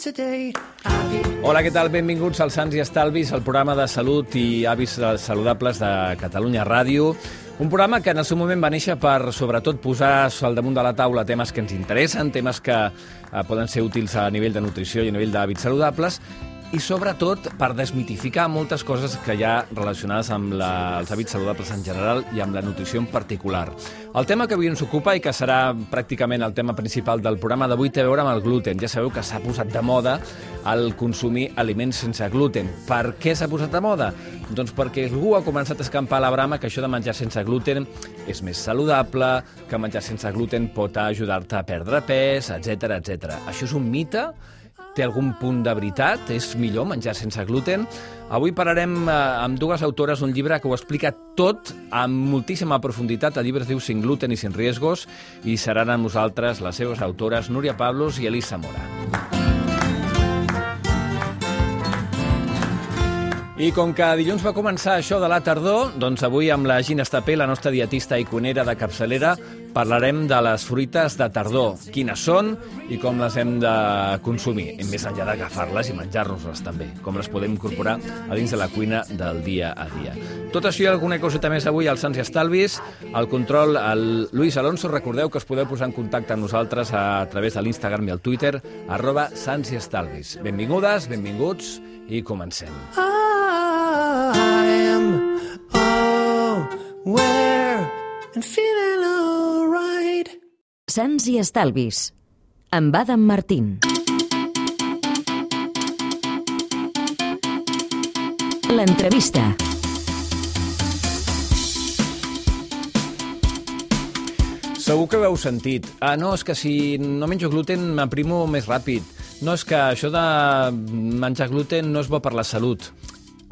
Hola, què tal? Benvinguts als Sants i Estalvis, el programa de salut i hàbits saludables de Catalunya Ràdio. Un programa que en el seu moment va néixer per, sobretot, posar al damunt de la taula temes que ens interessen, temes que poden ser útils a nivell de nutrició i a nivell d'hàbits saludables, i sobretot per desmitificar moltes coses que hi ha relacionades amb els hàbits saludables en general i amb la nutrició en particular. El tema que avui ens ocupa i que serà pràcticament el tema principal del programa d'avui té a veure amb el gluten. Ja sabeu que s'ha posat de moda el consumir aliments sense gluten. Per què s'ha posat de moda? Doncs perquè algú ha començat a escampar la brama que això de menjar sense gluten és més saludable, que menjar sense gluten pot ajudar-te a perdre pes, etc etc. Això és un mite? Té algun punt de veritat? És millor menjar sense gluten? Avui parlarem amb dues autores d'un llibre que ho explica tot amb moltíssima profunditat. El llibre es diu Sin gluten i sin riesgos i seran amb nosaltres les seves autores Núria Pablos i Elisa Mora. I com que dilluns va començar això de la tardor, doncs avui amb la Gina Estapé, la nostra dietista i cuinera de capçalera, parlarem de les fruites de tardor, quines són i com les hem de consumir, més enllà d'agafar-les i menjar-nos-les també, com les podem incorporar a dins de la cuina del dia a dia. Tot això i alguna coseta més avui als Sants i Estalvis. Al control, el Luis Alonso. Recordeu que us podeu posar en contacte amb nosaltres a través de l'Instagram i el Twitter, @SantsIEstalvis. Benvingudes, benvinguts i comencem. And feeling all right. Sants i Estalvis, amb Adam Martín. L'entrevista. Segur que ho heu sentit. No, és que si no menjo gluten m'aprimo més ràpid. No, és que això de menjar gluten no és bo per la salut.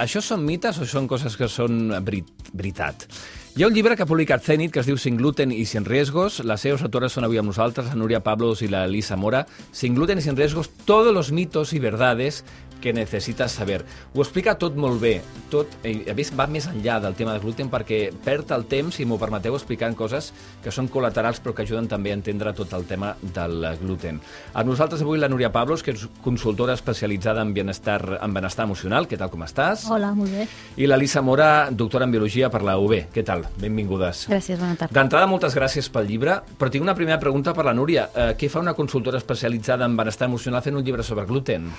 Això són mites o són coses que són veritat? Hi ha un llibre que ha publicat Zenit que es diu Sin gluten y sin riesgos. Las seves autores són avui amb nosaltres, la Núria Pablos i la Elisa Mora. Sin gluten y sin riesgos, todos los mitos y verdades que necessites saber. Ho explica tot molt bé. Tot, a més, va més enllà del tema del gluten perquè perd el temps, si m'ho permeteu, explicant coses que són col·laterals però que ajuden també a entendre tot el tema del gluten. Amb nosaltres avui la Núria Pablos, que és consultora especialitzada en benestar emocional. Què tal, com estàs? Hola, molt bé. I la Elisa Mora, doctora en biologia per la UB. Què tal? Benvingudes. Gràcies, bona tarda. D'entrada, moltes gràcies pel llibre, però tinc una primera pregunta per la Núria. Què fa una consultora especialitzada en benestar emocional fent un llibre sobre gluten?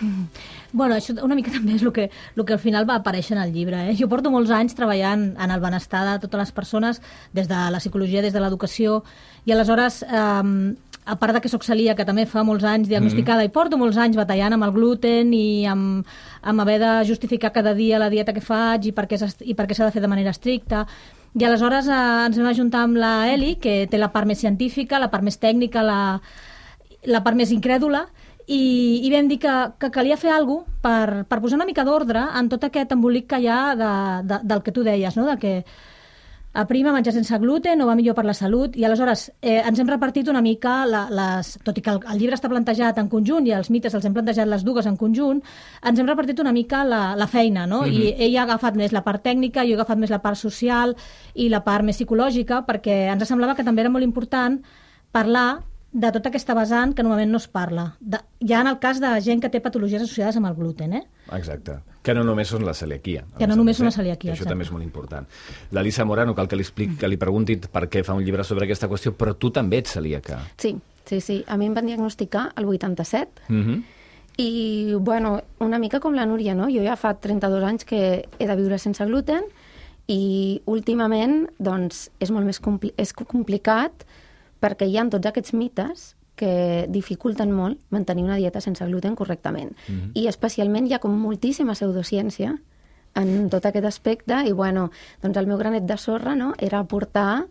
Bueno, això una mica també és el que al final va aparèixer en el llibre. Jo porto molts anys treballant en el benestar de totes les persones, des de la psicologia, des de l'educació, i aleshores, a part que soc celíaca, que també fa molts anys diagnosticada, i porto molts anys batallant amb el gluten i amb haver de justificar cada dia la dieta que faig i per què s'ha de fer de manera estricta. I aleshores ens vam ajuntar amb la Eli, que té la part més científica, la part més tècnica, la part més incrèdula, i vam dir que calia fer alguna cosa per posar una mica d'ordre en tot aquest embolic que hi ha del que tu deies, no? De que aprima menjar sense gluten o va millor per la salut, i aleshores ens hem repartit una mica tot i que el llibre està plantejat en conjunt i els mites els hem plantejat les dues en conjunt, ens hem repartit una mica la feina, no? I ella ha agafat més la part tècnica, jo he agafat més la part social i la part més psicològica, perquè ens semblava que també era molt important parlar de tota aquesta vessant que normalment no es parla. Ja en el cas de gent que té patologies associades amb el gluten, Exacte. Que no només són la celiaquia. Que no només són la celiaquia, això també és molt important. L'Elisa Mora, no cal que li pregunti per què fa un llibre sobre aquesta qüestió, però tu també ets celíaca. Sí. A mi em van diagnosticar el 87 i, bueno, una mica com la Núria, no? Jo ja fa 32 anys que he de viure sense gluten i últimament, doncs, és molt més complicat perquè hi ha tots aquests mites que dificulten molt mantenir una dieta sense gluten correctament. I especialment hi ha com moltíssima pseudociència en tot aquest aspecte i, bueno, doncs el meu granet de sorra, no?, era aportar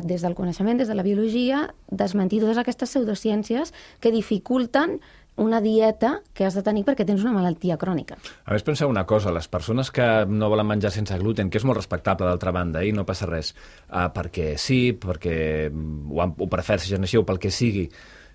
des del coneixement, des de la biologia, desmentir totes aquestes pseudociències que dificulten una dieta que has de tenir perquè tens una malaltia crònica. A més, penseu una cosa, les persones que no volen menjar sense gluten, que és molt respectable d'altra banda, i no passa res, perquè sí, perquè ho prefereixen així o pel que sigui,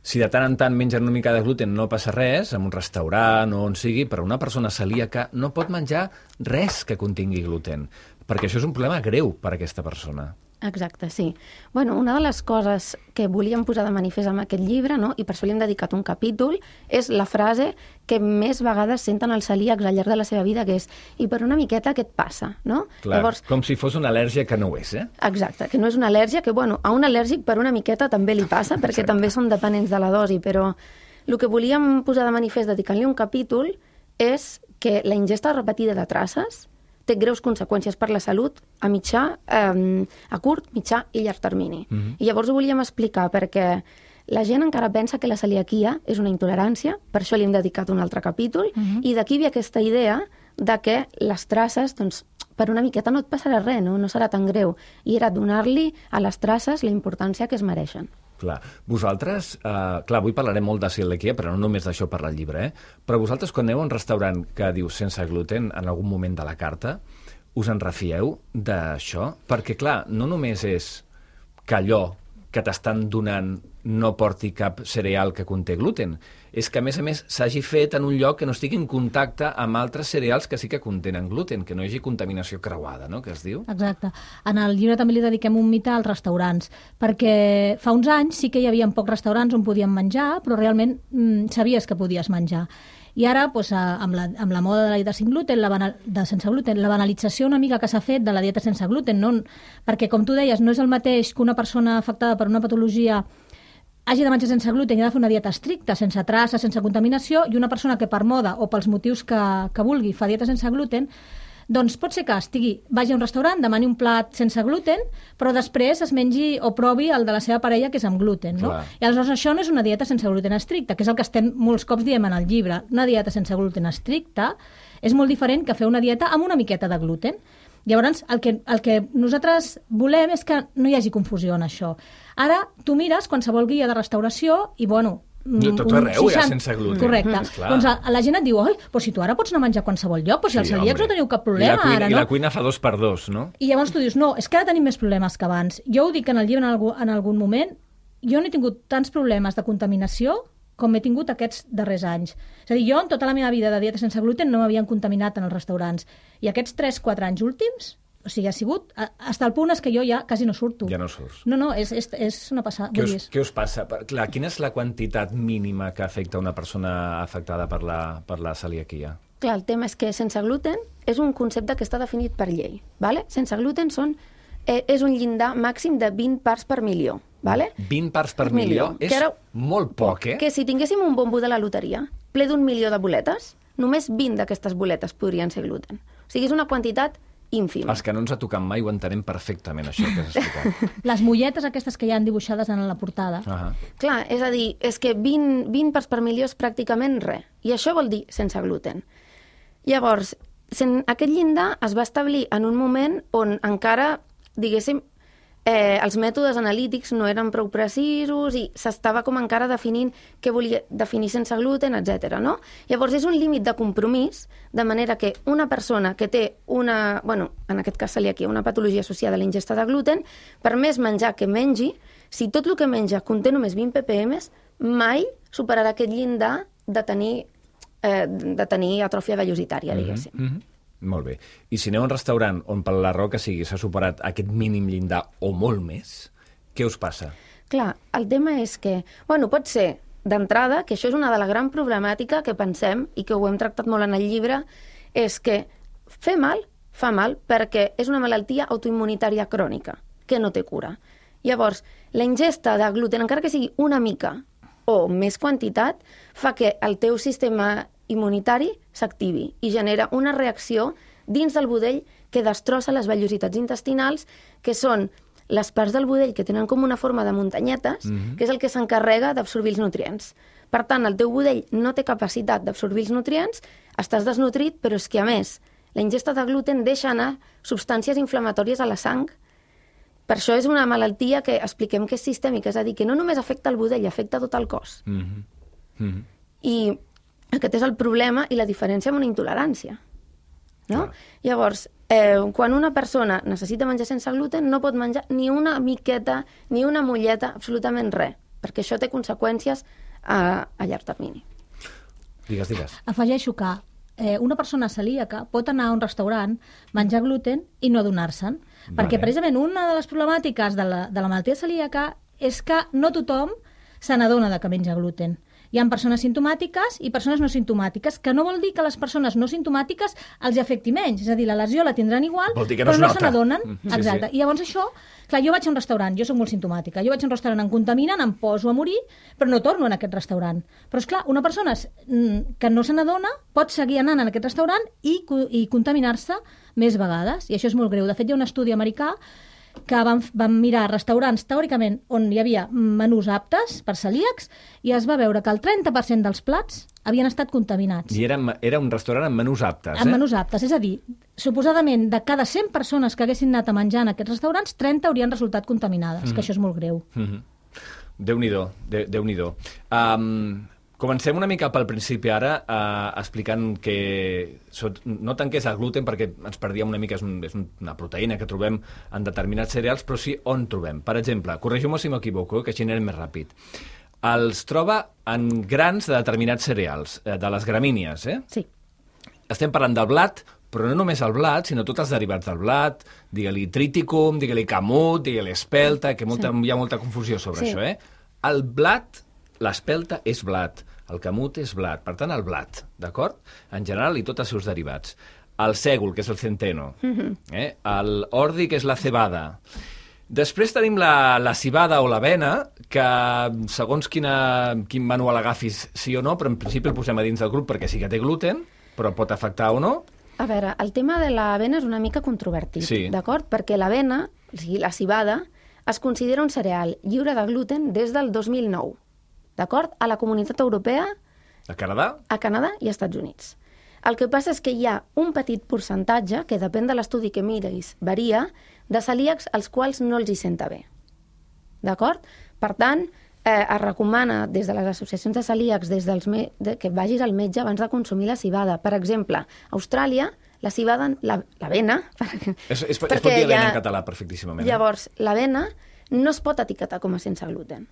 si de tant en tant mengen una mica de gluten no passa res, en un restaurant o on sigui, però una persona celíaca no pot menjar res que contingui gluten, perquè això és un problema greu per a aquesta persona. Exacte, sí. Bueno, una de les coses que volíem posar de manifest amb aquest llibre, no? I per això li hem dedicat un capítol, és la frase que més vegades senten els celíacs al llarg de la seva vida, que és i per una miqueta què et passa, no? Clar, llavors, com si fos una al·lèrgia que no ho és, eh? Exacte, que no és una al·lèrgia, que bueno, a un al·lèrgic per una miqueta també li passa, perquè Exacte. també són dependents de la dosi, però el que volíem posar de manifest dedicant-li un capítol és que la ingesta repetida de traces té greus conseqüències per la salut a curt, mitjà i llarg termini. I llavors ho volíem explicar perquè la gent encara pensa que la celiaquia és una intolerància, per això li hem dedicat un altre capítol, i d'aquí ve aquesta idea de que les traces, doncs, per una miqueta no et passarà res, no serà tan greu. I era donar-li a les traces la importància que es mereixen. Clar. Vosaltres, clar, avui parlarem molt de celiaquia, però no només d'això parla el llibre, però vosaltres quan aneu a un restaurant que diu sense gluten en algun moment de la carta, us en refieu d'això? Perquè, clar, no només és que allò que t'estan donant no porti cap cereal que conté gluten, és que, a més, s'hagi fet en un lloc que no estigui en contacte amb altres cereals que sí que contenen gluten, que no hi hagi contaminació creuada, no?, que es diu. Exacte. En el llibre també li dediquem un mite als restaurants, perquè fa uns anys sí que hi havia pocs restaurants on podíem menjar, però realment sabies que podies menjar. I ara, doncs, amb la moda de la dieta sense gluten, la banalització una mica que s'ha fet de la dieta sense gluten, no? Perquè, com tu deies, no és el mateix que una persona afectada per una patologia hagi de menjar sense gluten i ha de fer una dieta estricta, sense traça, sense contaminació, i una persona que per moda o pels motius que vulgui fa dieta sense gluten, doncs pot ser que vagi a un restaurant, demani un plat sense gluten, però després es mengi o provi el de la seva parella, que és amb gluten, no? Clar. I aleshores això no és una dieta sense gluten estricta, que és el que estem molts cops diem en el llibre. Una dieta sense gluten estricta és molt diferent que fer una dieta amb una miqueta de gluten. Llavors, el que nosaltres volem és que no hi hagi confusió en això. Ara, tu mires qualsevol guia de restauració i, bueno, tot arreu, ja, sense gluten. Correcte. Doncs la gent et diu, oi, però si tu ara pots anar a menjar a qualsevol lloc, però si els celíacs no teniu cap problema ara, no? I la cuina fa 2x2, no? I llavors tu dius, no, és que ara tenim més problemes que abans. Jo ho dic en el llibre en algun moment, jo no he tingut tants problemes de contaminació com he tingut aquests darrers anys. És a dir, jo en tota la meva vida de dieta sense gluten no m'havien contaminat en els restaurants. I aquests 3-4 anys últims, o sigui, ha sigut... Hasta el punt és que jo ja quasi no surto. Ja no surts. No, és una passada. Què us passa? Clar, quina és la quantitat mínima que afecta una persona afectada per la celiaquia? Clar, el tema és que sense gluten és un concepte que està definit per llei. ¿Vale? Sense gluten és un llindar màxim de 20 parts per milió. ¿Vale? 20 parts per milió? És molt poc, eh? Que si tinguéssim un bombo de la loteria ple d'1 milió de boletes, només 20 d'aquestes boletes podrien ser gluten. O sigui, és una quantitat ínfima. Els que no ens ha tocat mai ho entenem perfectament, això que has explicat. Les molletes aquestes que hi han dibuixades en la portada. Clar, és a dir, és que 20 parts per milió és pràcticament res. I això vol dir sense gluten. Llavors, aquest llindar es va establir en un moment on encara, diguéssim, els mètodes analítics no eren prou precisos i s'estava com encara definint què volia definir sense gluten, etc. No? Llavors és un límit de compromís, de manera que una persona que té una, bueno, en aquest cas celiaquia, una patologia associada a la ingesta de gluten, per més menjar que mengi, si tot el que menja conté només 20 ppm, mai superarà aquest llindar de tenir atròfia vellositària, diguéssim. Molt bé. I si aneu a un restaurant on per la raó que sigui s'ha superat aquest mínim llindar o molt més, què us passa? Clar, el tema és que, bueno, pot ser d'entrada, que això és una de la gran problemàtica que pensem, i que ho hem tractat molt en el llibre, és que fer mal fa mal perquè és una malaltia autoimmunitària crònica, que no té cura. Llavors, la ingesta de gluten, encara que sigui una mica o més quantitat, fa que el teu sistema immunitari s'activi i genera una reacció dins del budell que destrossa les vellositats intestinals, que són les parts del budell que tenen com una forma de muntanyetes, que és el que s'encarrega d'absorbir els nutrients. Per tant, el teu budell no té capacitat d'absorbir els nutrients, estàs desnutrit, però és que, a més, la ingesta de gluten deixa anar substàncies inflamatòries a la sang. Per això és una malaltia que expliquem que és sistèmica, és a dir, que no només afecta el budell, afecta tot el cos. I aquest és el problema i la diferència amb una intolerància. No? Llavors, quan una persona necessita menjar sense gluten, no pot menjar ni una miqueta, ni una molleta, absolutament res, perquè això té conseqüències a llarg termini. Digues. Afegeixo que una persona celíaca pot anar a un restaurant, menjar gluten i no adonar-se'n. Perquè precisament una de les problemàtiques de la malaltia celíaca és que no tothom se n'adona que menja gluten. Hi ha persones simptomàtiques i persones no simptomàtiques, que no vol dir que les persones no simptomàtiques els afecti menys. És a dir, la lesió la tindran igual, però no se n'adonen. Exacte. I llavors això... Clar, jo vaig a un restaurant, jo soc molt simptomàtica, jo vaig a un restaurant, em contaminen, em poso a morir, però no torno en aquest restaurant. Però, és clar, una persona que no se n'adona pot seguir anant en aquest restaurant i contaminar-se més vegades. I això és molt greu. De fet, hi ha un estudi americà que van mirar restaurants, teòricament, on hi havia menús aptes per celíacs, i es va veure que el 30% dels plats havien estat contaminats. I era un restaurant amb menús aptes, Amb menús aptes, és a dir, suposadament, de cada 100 persones que haguessin anat a menjar en aquests restaurants, 30 haurien resultat contaminades, que això és molt greu. Déu-n'hi-do, Déu-n'hi-do. Comencem una mica pel principi ara, explicant que no tant què és el gluten, perquè ens perdíem una mica, és una proteïna que trobem en determinats cereals, però sí on trobem. Per exemple, corregiu-me si m'equivoco, que així anem més ràpid. Els troba en grans de determinats cereals, de les gramínies, Sí. Estem parlant del blat, però no només el blat, sinó tots els derivats del blat, digue-li triticum, digue-li camut, digue-li espelta, que hi ha molta confusió sobre això, El blat, l'espelta és blat, el camut és blat, per tant el blat, d'acord? En general i tots els seus derivats. El sègol, que és el centeno, el ordi, que és la cebada. Després tenim la cibada o l'avena, que segons quin manual agafis sí o no, però en principi el posem a dins del grup perquè sí que té gluten, però pot afectar o no. A veure, el tema de l'avena és una mica controvertit, d'acord? Perquè l'avena, o sigui, la cibada, es considera un cereal lliure de gluten des del 2009, d'acord? A la Comunitat Europea, a Canadà i als Estats Units. El que passa és que hi ha un petit percentatge, que depèn de l'estudi que miris, varia, de celíacs als quals no els hi senta bé. D'acord? Per tant, es recomana des de les associacions de celíacs que vagis al metge abans de consumir la cibada. Per exemple, a Austràlia, la cibada, l'avena... Es pot dir avena en català perfectíssimament. Llavors, l'avena no es pot etiquetar com a sense gluten.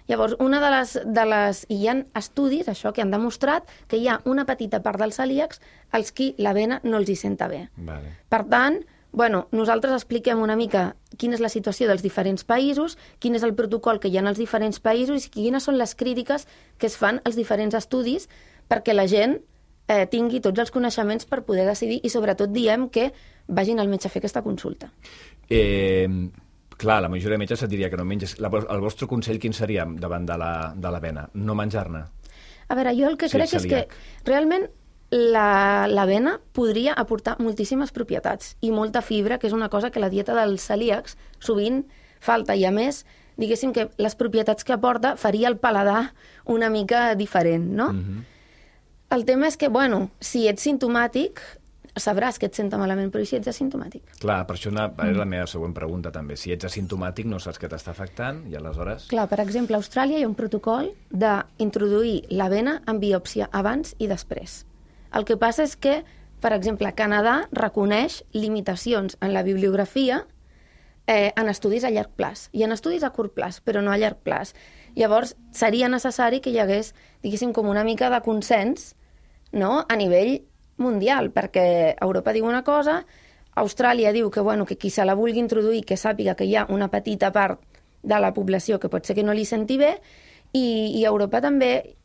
Llavors, una de les... I hi ha estudis, això, que han demostrat que hi ha una petita part dels celíacs als qui l'avena no els hi senta bé. Vale. Per tant, nosaltres expliquem una mica quina és la situació dels diferents països, quin és el protocol que hi ha en els diferents països i quines són les crítiques que es fan als diferents estudis perquè la gent tingui tots els coneixements per poder decidir i sobretot diem que vagin al metge a fer aquesta consulta. Clar, la majoria de metges et diria que no menges. El vostre consell quin seria davant de l'avena? No menjar-ne? A veure, jo el que crec és que realment l'avena podria aportar moltíssimes propietats i molta fibra, que és una cosa que la dieta dels celíacs sovint falta. I a més, diguéssim que les propietats que aporta faria el paladar una mica diferent, no? El tema és que, si ets simptomàtic, sabràs que et senta malament, però si ets asimptomàtic? Clar, per això és la meva següent pregunta, també. Si ets asimptomàtic, no saps què t'està afectant, i aleshores... Clar, per exemple, a Austràlia hi ha un protocol d'introduir l'avena en biòpsia abans i després. El que passa és que, per exemple, Canadà reconeix limitacions en la bibliografia en estudis a llarg plaç. I en estudis a curt plaç, però no a llarg plaç. Llavors, seria necessari que hi hagués, diguéssim, com una mica de consens, no?, a nivell mundial, perquè Europa diu una cosa, Austràlia diu que qui se la vulgui introduir, que sàpiga que hi ha una petita part de la població que pot ser que no li senti bé, i a Europa també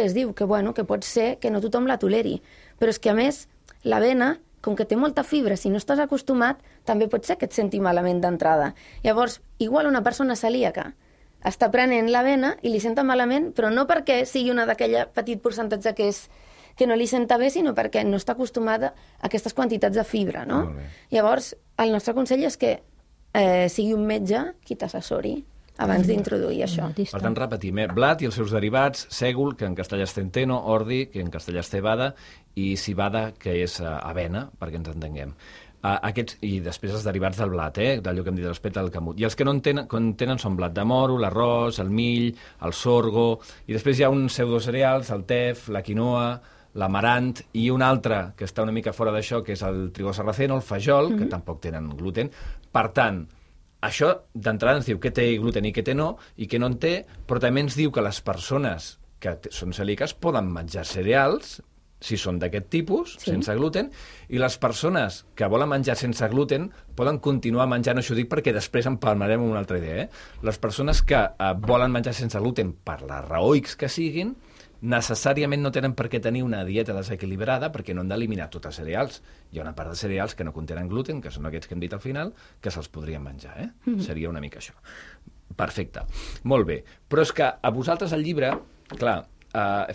es diu que pot ser que no tothom la toleri. Però és que, a més, l'avena, com que té molta fibra, si no estàs acostumat, també pot ser que et senti malament d'entrada. Llavors, igual una persona celíaca està prenent l'avena i li senta malament, però no perquè sigui una d'aquella petit percentatge que no li senta bé, sinó perquè no està acostumada a aquestes quantitats de fibra, no? Llavors, el nostre consell és que sigui un metge qui t'assessori abans d'introduir això. Per tant, repetim, blat i els seus derivats, sègol, que en castellà és centeno, ordi, que en castellà és cebada, i cibada, que és avena, perquè ens entenguem. I després els derivats del blat, d'allò que hem dit respecte al camut. I els que no en tenen són blat de moro, l'arròs, el mill, el sorgo, i després hi ha uns pseudocereals, el tef, la quinoa, l'amarant, i un altre que està una mica fora d'això, que és el trigo sarraceno, el fajol, que tampoc tenen gluten. Per tant, això d'entrada ens diu què té gluten i què té no, i què no en té, però també ens diu que les persones que són celíaques poden menjar cereals si són d'aquest tipus, Sí. sense gluten, i les persones que volen menjar sense gluten poden continuar menjant, això ho dic perquè després en parlarem una altra idea, Les persones que volen menjar sense gluten per la raó X que siguin, necessàriament no tenen per què tenir una dieta desequilibrada perquè no han d'eliminar tots els cereals. Hi ha una part de cereals que no contenen gluten, que són aquests que hem dit al final, que se'ls podrien menjar, Seria una mica això. Perfecte. Molt bé. Però és que a vosaltres el llibre, clar,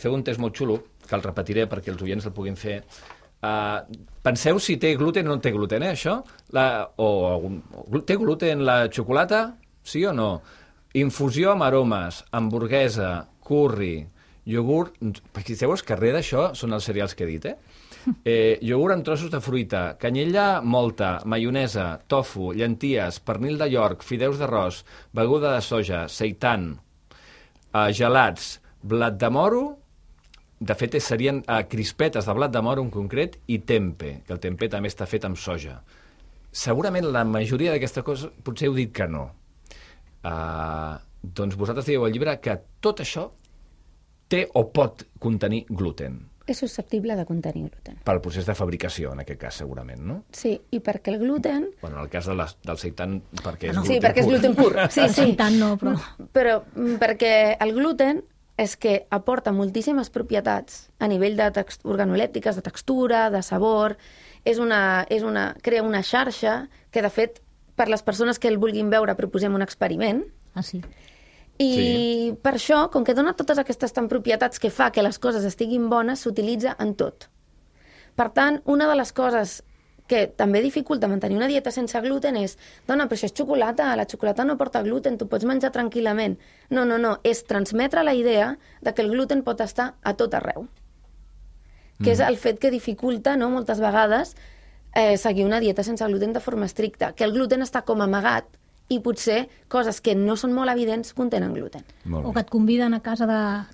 feu un test molt xulo, que el repetiré perquè els oients el puguin fer. Penseu si té gluten o no té gluten, això? Té gluten la xocolata? Sí o no? Infusió amb aromes, hamburguesa, curri, iogurt... Fixeu-vos que darrere d'això són els cereals que he dit, iogurt amb trossos de fruita, canyella molta, maionesa, tofu, llenties, pernil de York, fideus d'arròs, beguda de soja, seitan, gelats, blat de moro, de fet serien crispetes de blat de moro en concret, i tempe, que el tempe també està fet amb soja. Segurament la majoria d'aquesta cosa potser heu dit que no. Doncs vosaltres dieu al llibre que tot això té o pot contenir gluten. És susceptible de contenir gluten. Pel procés de fabricació, en aquest cas, segurament, no? Sí, i perquè el gluten... Bueno, en el cas del seitan, perquè és gluten Sí, perquè és gluten pur. Sí, sí. Tant no, però... Però perquè el gluten és que aporta moltíssimes propietats a nivell de organolèptiques, de textura, de sabor, crea una xarxa que, de fet, per les persones que el vulguin veure, proposem un experiment. Ah, sí. I per això, com que dona totes aquestes propietats que fa que les coses estiguin bones, s'utilitza en tot. Per tant, una de les coses que també dificulta mantenir una dieta sense gluten és, dona, però això és xocolata, la xocolata no porta gluten, tu pots menjar tranquil·lament. No, és transmetre la idea de que el gluten pot estar a tot arreu. Que és el fet que dificulta, no?, moltes vegades seguir una dieta sense gluten de forma estricta, que el gluten està com amagat i potser coses que no són molt evidents contenen gluten. O que et conviden et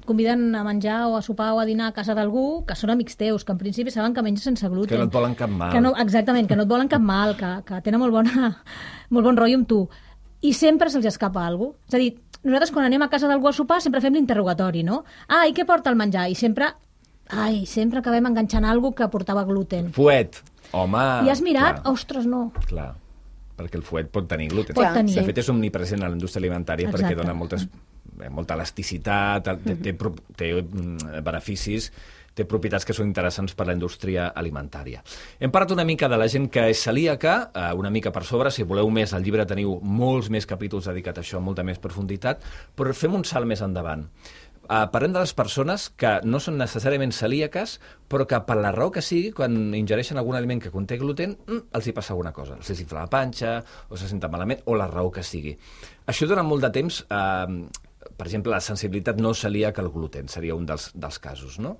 conviden a menjar o a sopar o a dinar a casa d'algú que són amics teus, que en principi saben que menges sense gluten. Que no et volen cap mal. Exactament, que no et volen cap mal, que tenen molt bon rotllo amb tu. I sempre se'ls escapa alguna cosa. És a dir, nosaltres quan anem a casa d'algú a sopar sempre fem l'interrogatori, no? I què porta el menjar? I sempre acabem enganxant alguna cosa que portava gluten. Fuet. Home... I has mirat? Clar. Ostres, no. Clar, perquè el fuet pot tenir gluten. Pot tenir. De fet, és omnipresent a la indústria alimentària. Exacte. Perquè dona molta elasticitat, té beneficis, té propietats que són interessants per a la indústria alimentària. Hem parlat una mica de la gent que és celíaca, una mica per sobre. Si voleu més, al llibre teniu molts més capítols dedicats a això, molta més profunditat, però fem un salt més endavant. Parlem de les persones que no són necessàriament celíaques, però que per la raó que sigui, quan ingereixen algun aliment que conté gluten, els hi passa alguna cosa. Els infla la panxa, o se senten malament, o la raó que sigui. Això durant molt de temps, per exemple, la sensibilitat no celíaca al gluten seria un dels casos, no?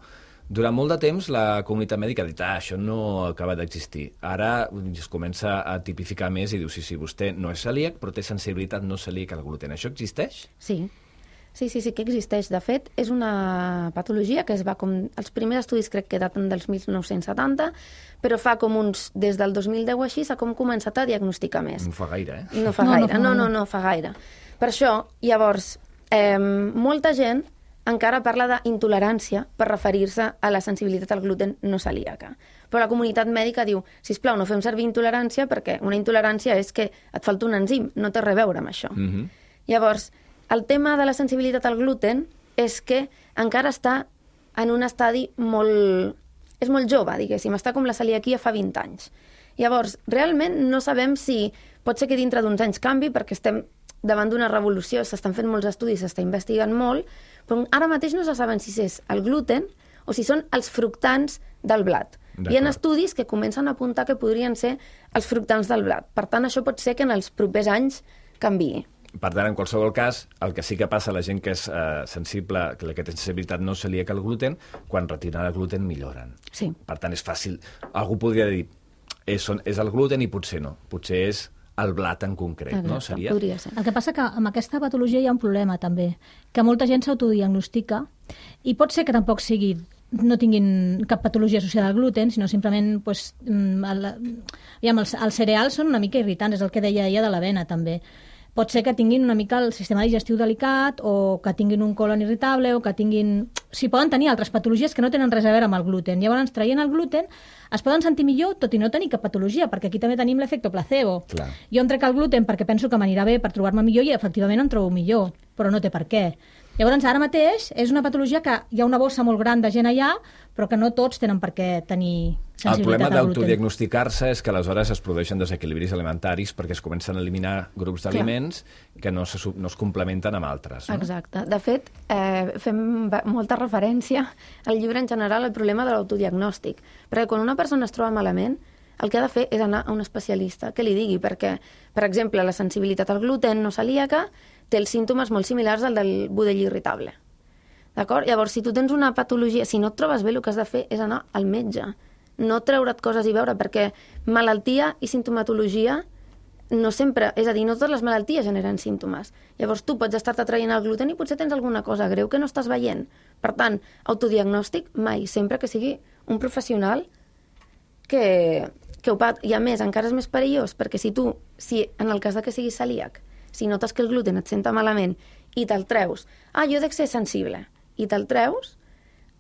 Durant molt de temps la comunitat mèdica ha dit això no acaba d'existir. Ara es comença a tipificar més i diu sí, vostè no és celíac, però té sensibilitat no celíaca al gluten. Això existeix? Sí que existeix. De fet, és una patologia que es va els primers estudis crec que daten dels 1970, però fa com des del 2010 o així s'ha començat a diagnosticar més. No fa gaire, No fa gaire, no fa gaire. Per això, llavors, molta gent encara parla d'intolerància per referir-se a la sensibilitat al gluten no celíaca. Però la comunitat mèdica diu, sisplau, no fem servir intolerància perquè una intolerància és que et falta un enzim, no té res a veure amb això. Llavors, el tema de la sensibilitat al gluten és que encara està en un estadi és molt jove, diguéssim, està com la celiaquia fa 20 anys. Llavors, realment no sabem si pot ser que dintre d'uns anys canvi perquè estem davant d'una revolució, s'estan fent molts estudis, s'està investigant molt, però ara mateix no se saben si és el gluten o si són els fructants del blat. Hi ha estudis que comencen a apuntar que podrien ser els fructants del blat. Per tant, això pot ser que en els propers anys canviï. Per tant, en qualsevol cas, el que sí que passa a la gent que és sensible, que té sensibilitat no celíaca al gluten, quan retiren el gluten milloren. Sí. Per tant, és fàcil. Algú podria dir, és el gluten i potser no. Potser és el blat en concret, exacte, no? Seria... Podria ser. El que passa que amb aquesta patologia hi ha un problema, també, que molta gent s'autodiagnostica i pot ser que tampoc no tinguin cap patologia associada al gluten, sinó simplement els cereals són una mica irritants, és el que deia ella de l'avena, també. pot ser que tinguin una mica el sistema digestiu delicat o que tinguin un colon irritable o que tinguin... Si poden tenir altres patologies que no tenen res a veure amb el gluten. Llavors, traient el gluten, es poden sentir millor tot i no tenir cap patologia, perquè aquí també tenim l'efecte placebo. Clar. Jo em trec el gluten perquè penso que m'anirà bé per trobar-me millor i efectivament em trobo millor, però no té per què. Llavors, ara mateix és una patologia que hi ha una bossa molt gran de gent allà, però que no tots tenen per què tenir sensibilitat El problema al gluten. d'autodiagnosticar-se és que aleshores es produeixen desequilibris alimentaris perquè es comencen a eliminar grups d'aliments que no es complementen amb altres. No? Exacte. De fet, fem molta referència al llibre en general al problema de l'autodiagnòstic. Perquè quan una persona es troba malament, el que ha de fer és anar a un especialista que li digui, perquè, per exemple, la sensibilitat al gluten no celíaca té els símptomes molt similars al del budell irritable. D'acord? Llavors, si tu tens una patologia, si no et trobes bé, el que has de fer és anar al metge. No treure't coses i veure, perquè malaltia i sintomatologia no sempre... És a dir, no totes les malalties generen símptomes. Llavors, tu pots estar-te traient el gluten i potser tens alguna cosa greu que no estàs veient. Per tant, autodiagnòstic mai, sempre que sigui un professional que ho pot... I a més, encara és més perillós, perquè si en el cas de que siguis celíac, si notes que el gluten et senta malament i te'l treus, jo he de ser sensible, i te'l treus,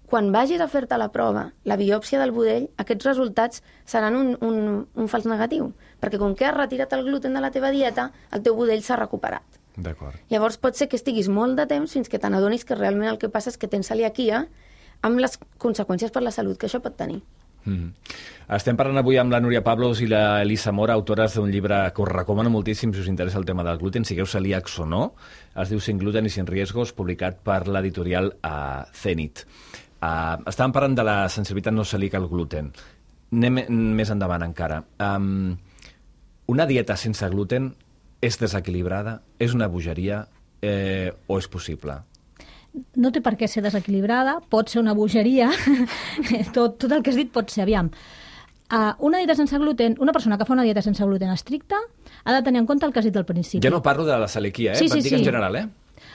quan vagis a fer-te la prova, la biòpsia del budell, aquests resultats seran un fals negatiu, perquè com que has retirat el gluten de la teva dieta, el teu budell s'ha recuperat. D'acord. Llavors pot ser que estiguis molt de temps fins que te n'adonis que realment el que passa és que tens celiaquia amb les conseqüències per la salut que això pot tenir. Estem parlant avui amb la Núria Pablos i la Elisa Mora, autores d'un llibre que us recomano moltíssim si us interessa el tema del gluten, sigueu celíacs o no. Es diu Sin gluten i sin riesgos, publicat per l'editorial Zenit. Estàvem parlant de la sensibilitat no celíaca al gluten. Anem més endavant encara. Una dieta sense gluten és desequilibrada? És una bogeria? O és possible? No té per què ser desequilibrada, pot ser una bogeria, tot el que has dit pot ser, aviam. Una dieta sense gluten, una persona que fa una dieta sense gluten estricta ha de tenir en compte el que has dit al principi. Jo no parlo de la celiaquia, Sí. dic en general,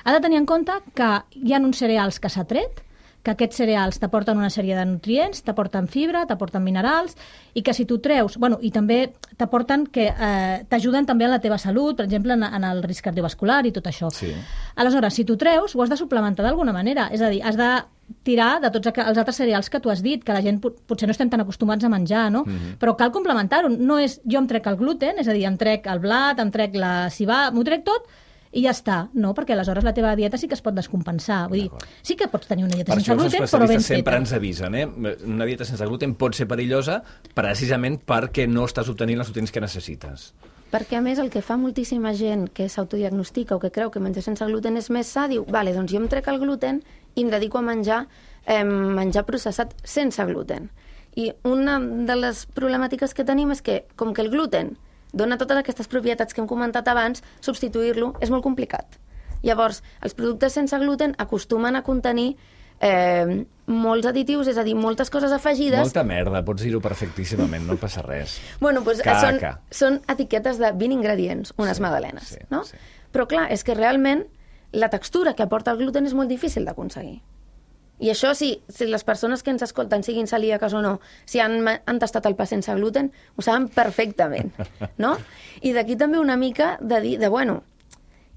Ha de tenir en compte que hi ha uns cereals que s'ha tret, que aquests cereals t'aporten una sèrie de nutrients, t'aporten fibra, t'aporten minerals, i que si tu treus... I també t'aporten que t'ajuden també a la teva salut, per exemple, en el risc cardiovascular i tot això. Sí. Aleshores, si tu treus, ho has de suplementar d'alguna manera. És a dir, has de tirar de tots els altres cereals que tu has dit, que la gent potser no estem tan acostumats a menjar, no? Però cal complementar-ho. No és jo em trec el gluten, és a dir, em trec el blat, em trec la civada, m'ho trec tot, i ja està. No, perquè aleshores la teva dieta sí que es pot descompensar. Vull dir, sí que pots tenir una dieta sense gluten, però ben feta. Per això els especialistes sempre ens avisen, Una dieta sense gluten pot ser perillosa precisament perquè no estàs obtenint els nutrients que necessites. Perquè, a més, el que fa moltíssima gent que s'autodiagnostica o que creu que menjar sense gluten és més sa, diu, vale, doncs jo em trec el gluten i em dedico a menjar processat sense gluten. I una de les problemàtiques que tenim és que, com que el gluten dona totes aquestes propietats que hem comentat abans, substituir-lo és molt complicat. Llavors, els productes sense gluten acostumen a contenir molts additius, és a dir, moltes coses afegides... Molta merda, pots dir-ho perfectíssimament, no passa res. Bueno, doncs són etiquetes de 20 ingredients, unes magdalenes, no? Sí. Però clar, és que realment la textura que aporta el gluten és molt difícil d'aconseguir. I això, si les persones que ens escolten, siguin celíaques o no, si han tastat el pa sense gluten, ho saben perfectament, no? I d'aquí també una mica de dir,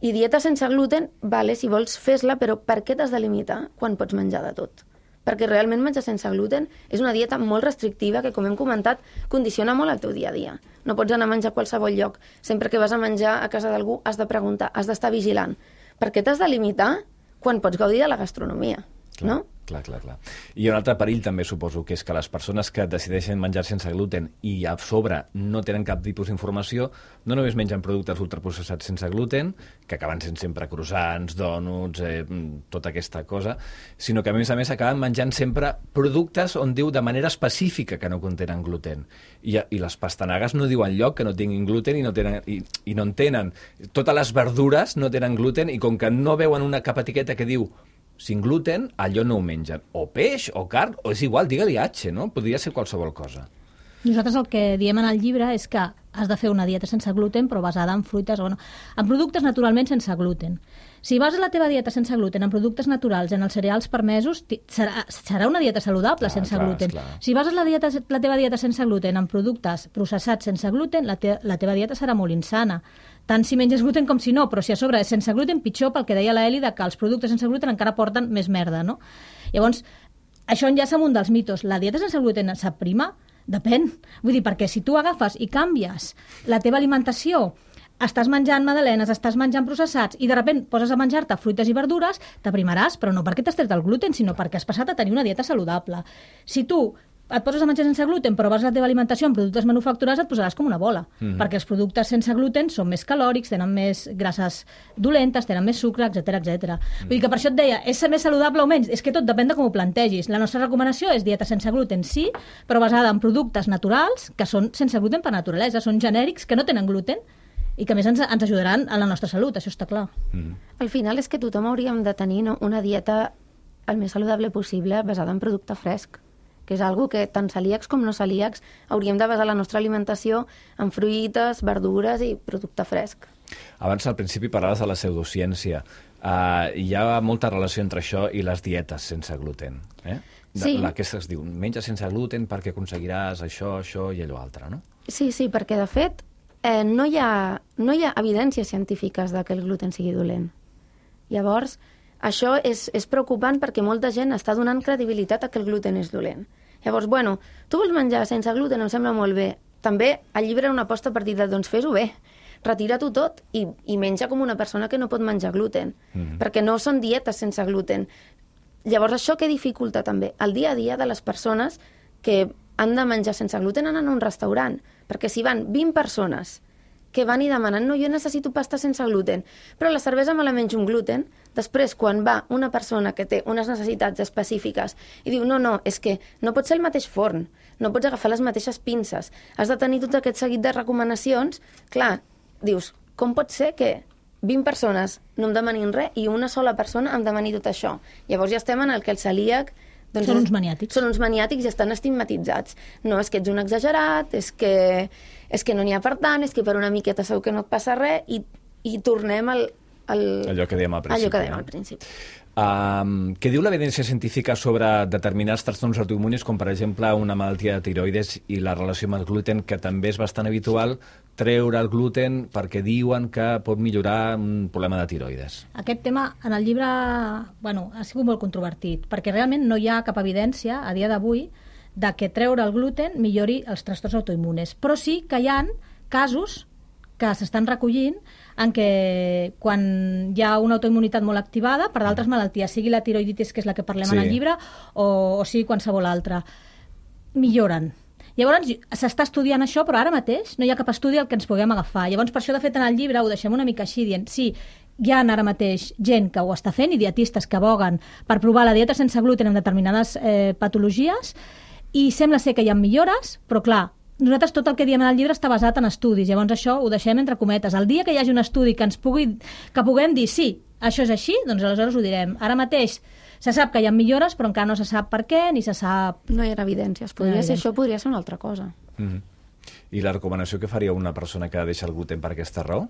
i dieta sense gluten, vale, si vols fes-la, però per què t'has de limitar quan pots menjar de tot? Perquè realment menjar sense gluten és una dieta molt restrictiva que, com hem comentat, condiciona molt el teu dia a dia. No pots anar a menjar a qualsevol lloc. Sempre que vas a menjar a casa d'algú has de preguntar, has d'estar vigilant. Per què t'has de limitar quan pots gaudir de la gastronomia? Clar, no? Clar. I un altre perill també suposo que és que les persones que decideixen menjar sense gluten i a sobre no tenen cap tipus d'informació, no només mengen productes ultraprocessats sense gluten, que acaben sent sempre croissants, dònuts, tota aquesta cosa, sinó que a més acaben menjant sempre productes on diu de manera específica que no contenen gluten. I les pastanagues no diuen lloc que no tinguin gluten i no en tenen. Totes les verdures no tenen gluten i com que no veuen una cap etiqueta que diu sin gluten, allò no ho mengen. O peix, o carn, o és igual, digue-li H, no? Podria ser qualsevol cosa. Nosaltres el que diem en el llibre és que has de fer una dieta sense gluten, però basada en fruites, en productes naturalment sense gluten. Si bases la teva dieta sense gluten en productes naturals, en els cereals permesos, serà una dieta saludable sense gluten. Si bases la teva dieta sense gluten en productes processats sense gluten, la teva dieta serà molt insana. Tant si menges gluten com si no, però si a sobre és sense gluten, pitjor, pel que deia l'Eli, que els productes sense gluten encara porten més merda, no? Llavors, això enllaça amb un dels mitos. La dieta sense gluten s'aprima? Depèn. Vull dir, perquè si tu agafes i canvies la teva alimentació, estàs menjant magdalenes, estàs menjant processats i de sobte poses a menjar-te fruites i verdures, t'aprimaràs, però no perquè t'has tret el gluten, sinó perquè has passat a tenir una dieta saludable. Si tu et poses a menjar sense gluten, però vas a la teva alimentació amb productes manufacturats, et posaràs com una bola, perquè els productes sense gluten són més calòrics, tenen més grasses dolentes, tenen més sucre, etc. Vull dir que per això et deia, és més saludable o menys? És que tot depèn de com ho plantegis. La nostra recomanació és dieta sense gluten, sí, però basada en productes naturals, que són sense gluten per naturalesa, són genèrics, que no tenen gluten, i que a més ens ajudaran a la nostra salut, això està clar. Al final és que tothom hauríem de tenir una dieta el més saludable possible basada en producte fresc, que és algo que tant celíacs com no celíacs hauríem de basar la nostra alimentació en fruites, verdures i producte fresc. Abans, al principi, parlaves de la pseudociència. Hi ha molta relació entre això i les dietes sense gluten. Sí. La que es diu, menja sense gluten perquè aconseguiràs això i allò altre, no? Sí, perquè de fet no hi ha evidències científiques que el gluten sigui dolent. Llavors, això és preocupant perquè molta gent està donant credibilitat a que el gluten és dolent. Llavors, tu vols menjar sense gluten, em sembla molt bé. També el llibre era una aposta per dir, doncs fes-ho bé, retira-t'ho tot i menja com una persona que no pot menjar gluten, perquè no són dietes sense gluten. Llavors, això què dificulta també? El dia a dia de les persones que han de menjar sense gluten anar a un restaurant, perquè si van 20 persones que van i demanen, no, jo necessito pasta sense gluten, però la cervesa me la menjo amb gluten, després quan va una persona que té unes necessitats específiques i diu, no, és que no pot ser el mateix forn, no pots agafar les mateixes pinces, has de tenir tot aquest seguit de recomanacions, clar, dius, com pot ser que 20 persones no em demanin res i una sola persona em demani tot això? Llavors ja estem en el que el celíac són uns maniàtics. Són uns maniàtics i estan estigmatitzats. No, és que ets un exagerat, és que no n'hi ha per tant, és que per una miqueta segur que no et passa res i tornem allò que dèiem al principi. Què diu l'evidència científica sobre determinats trastorns autoimmunis, com per exemple una malaltia de tiroides i la relació amb el gluten, que també és bastant habitual treure el gluten perquè diuen que pot millorar un problema de tiroides? Aquest tema en el llibre ha sigut molt controvertit, perquè realment no hi ha cap evidència a dia d'avui de que treure el gluten millori els trastorns autoimmunes. Però sí que hi ha casos que s'estan recollint en què quan hi ha una autoimmunitat molt activada per d'altres malalties, sigui la tiroiditis, que és la que parlem en el llibre, o sigui qualsevol altra, milloren. Llavors, s'està estudiant això, però ara mateix no hi ha cap estudi al que ens puguem agafar. Llavors, per això, de fet, en el llibre ho deixem una mica així, dient, sí, hi ha ara mateix gent que ho està fent i dietistes que aboguen per provar la dieta sense gluten en determinades patologies, i sembla ser que hi ha millores, però clar, nosaltres tot el que diem en el llibre està basat en estudis, llavors això ho deixem entre cometes. El dia que hi hagi un estudi que puguem dir sí, això és així, doncs aleshores ho direm. Ara mateix se sap que hi ha millores, però encara no se sap per què, ni se sap... No hi ha evidències. Això podria ser una altra cosa. I la recomanació que faria una persona que deixa el gluten per aquesta raó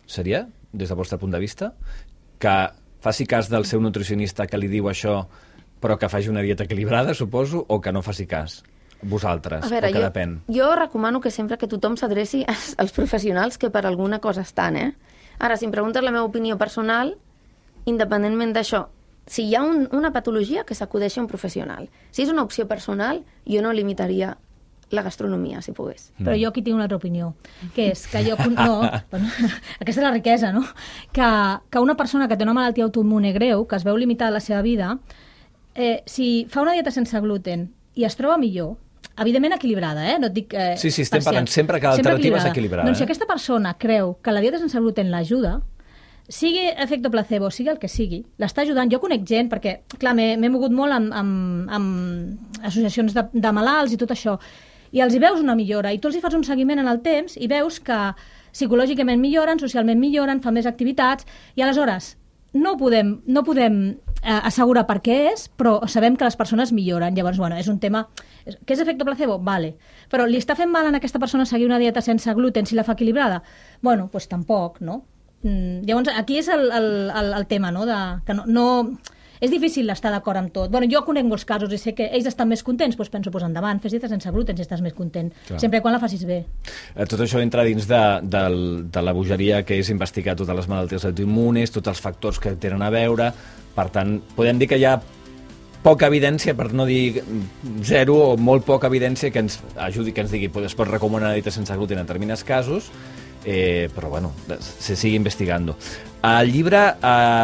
seria, des del vostre punt de vista, que faci cas del seu nutricionista que li diu això, però que faci una dieta equilibrada, suposo, o que no faci cas? Vosaltres, a veure, o que depèn? Jo recomano que sempre que tothom s'adreci als professionals que per alguna cosa estan, Ara, si em preguntes la meva opinió personal, independentment d'això, si hi ha una patologia, que s'acudeixi a un professional. Si és una opció personal, jo no limitaria la gastronomia, si pogués. Però jo aquí tinc una altra opinió, que és que jo... No, aquesta és la riquesa, no? Que una persona que té una malaltia autoimmune greu, que es veu limitada a la seva vida, si fa una dieta sense gluten i es troba millor, evidentment equilibrada, no et dic... Sí, estem parlant sempre que l'alternativa és equilibrada. Doncs si aquesta persona creu que la dieta sense gluten l'ajuda, sigui efecte placebo, sigui el que sigui, l'està ajudant. Jo conec gent, perquè, clar, m'he mogut molt amb associacions de malalts i tot això, i els hi veus una millora, i tu els hi fas un seguiment en el temps i veus que psicològicament milloren, socialment milloren, fan més activitats, i aleshores no podem assegurar per què és, però sabem que les persones milloren. Llavors, bueno, és un tema... Què és efecte placebo? Vale. Però li està fent mal a aquesta persona seguir una dieta sense gluten si la fa equilibrada? Bueno, doncs tampoc, no? Llavors, aquí és el tema, no? Que no és difícil estar d'acord amb tot. Bueno, jo conec molts casos i sé que ells estan més contents, doncs penso, endavant, fes dieta sense gluten si estàs més content, sempre quan la facis bé. Tot això entra dins de la bogeria que és investigar totes les malalties autoimmunes, tots els factors que tenen a veure. Per tant, podem dir que hi ha poca evidència, per no dir zero, o molt poca evidència que ens ajudi, que ens digui es pot recomanar una dieta sense gluten en determinats casos, però bueno, se sigue investigando. El llibre